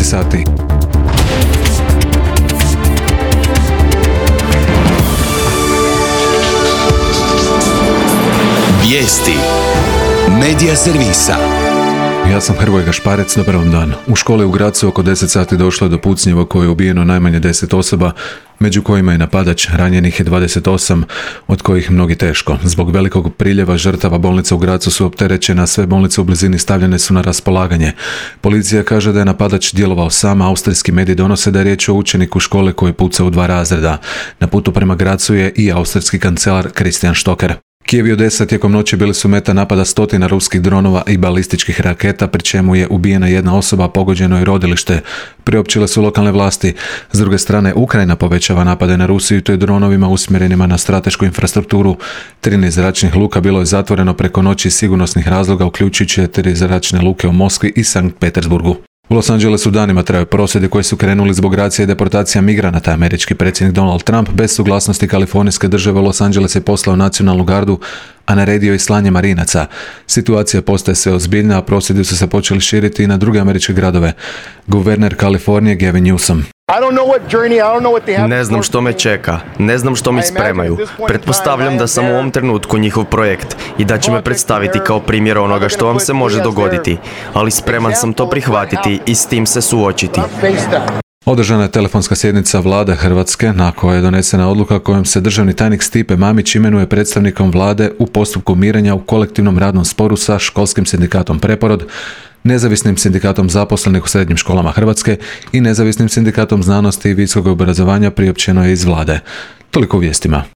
sati. Vijesti Medija servisa. Ja sam Hrvoje Gašparec, dobar vam dan. U školi u Grazu oko 10 sati došlo je do pucnjeva koje je ubijeno najmanje 10 osoba, među kojima je napadač, ranjenih je 28, od kojih mnogi teško. Zbog velikog priljeva žrtava bolnica u Grazu su opterećene, a sve bolnice u blizini stavljene su na raspolaganje. Policija kaže da je napadač djelovao sam, austrijski mediji donose da je riječ o učeniku škole koji je pucao u 2 razreda. Na putu prema Grazu je i austrijski kancelar Christian Stocker. Kijev i Odesa tijekom noći bili su meta napada stotina ruskih dronova i balističkih raketa, pri čemu je ubijena jedna osoba, a pogođeno je rodilište. Priopćile su lokalne vlasti. S druge strane, Ukrajina povećava napade na Rusiju i to je dronovima usmjerenima na stratešku infrastrukturu. 13 zračnih luka bilo je zatvoreno preko noći iz sigurnosnih razloga, uključujući 4 zračne luke u Moskvi i Sankt Petersburgu. U Los Angelesu danima traju prosvjedi koji su krenuli zbog racije i deportacija migranata. Američki predsjednik Donald Trump bez suglasnosti Kalifornijske države u Los Angeles je poslao nacionalnu gardu, a naredio i slanje marinaca. Situacija postaje sve ozbiljna, a prosvjedi su se počeli širiti i na druge američke gradove. Guverner Kalifornije Gavin Newsom: Ne znam što me čeka, ne znam što mi spremaju. Pretpostavljam da sam u ovom trenutku njihov projekt i da će me predstaviti kao primjer onoga što vam se može dogoditi, ali spreman sam to prihvatiti i s tim se suočiti. Održana je telefonska sjednica Vlade Hrvatske, na kojoj je donesena odluka kojom se državni tajnik Stipe Mamić imenuje predstavnikom Vlade u postupku mirenja u kolektivnom radnom sporu sa školskim sindikatom Preporod, Nezavisnim sindikatom zaposlenih u srednjim školama Hrvatske i Nezavisnim sindikatom znanosti i visokog obrazovanja, priopćeno je iz Vlade. Toliko u vijestima.